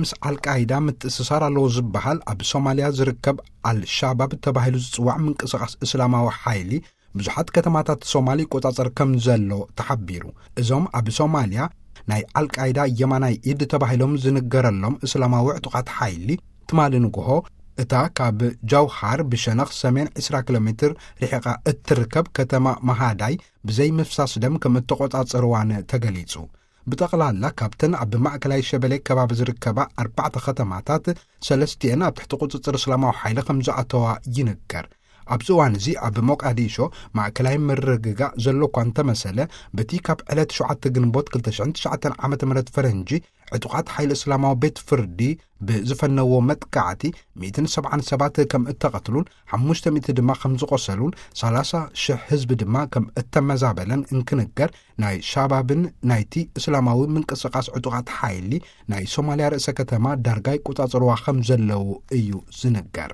ምስ ኣልቃይዳ ምትእስሳር ኣለዎ ዝበሃል ኣብ ሶማልያ ዝርከብ ኣልሻባብ ተባሂሉ ዝጽዋዕ ምንቅስቓስ እስላማዊ ሓይሊ ብዙሓት ከተማታት ሶማል ይቆጻጸር ከም ዘሎ ተሓቢሩ። እዞም ኣብ ሶማልያ ናይ ኣልቃይዳ የማናይ ኢድ ተባሂሎም ዝንገረሎም እስላማዊ ዕጡቓት ሓይሊ ትማሊ ንግሆ እታ ካብ ጃውሃር ብሸነኽ ሰሜን ዕስራ ኪሎ ሜትር ርሒቓ እትርከብ ከተማ መሃዳይ ብዘይ ምፍሳስ ደም ከም እተቆጻጸርዋን ተገሊጹ። ብጠቕላላ ካብተን ኣብ ማእከላይ ሸበሌ ከባቢ ዝርከባ ኣርባዕተ ከተማታት ሰለስቲኤን ኣብ ትሕቲ ቁጽጽር እስላማዊ ሓይሊ ከም ዝኣተዋ ይንገር። ኣብዚ እዋን እዚ ኣብ ሞቃዲሾ ማእከላይ ምርግጋእ ዘሎ እኳ እንተመሰለ፣ በቲ ካብ ዕለት ሸውዓተ ግንቦት ክልተ ሽሕን ትሽዓተን ዓመተ ምህረት ፈረንጂ ዕጡቓት ሓይሊ እስላማዊ ቤት ፍርዲ ብዝፈነዎ መጥቃዕቲ ሚእትን ሰብዓን ሰባት ከም እተቐትሉን ሓሙሽተ ሚእቲ ድማ ከም ዝቖሰሉን ሰላሳ ሽሕ ህዝቢ ድማ ከም እተመዛበለን እንክንገር፣ ናይ ሻባብን ናይቲ እስላማዊ ምንቅስቓስ ዕጡቓት ሓይሊ ናይ ሶማልያ ርእሰ ከተማ ዳርጋ ይቆጻጸርዋ ከም ዘለዉ እዩ ዝንገር።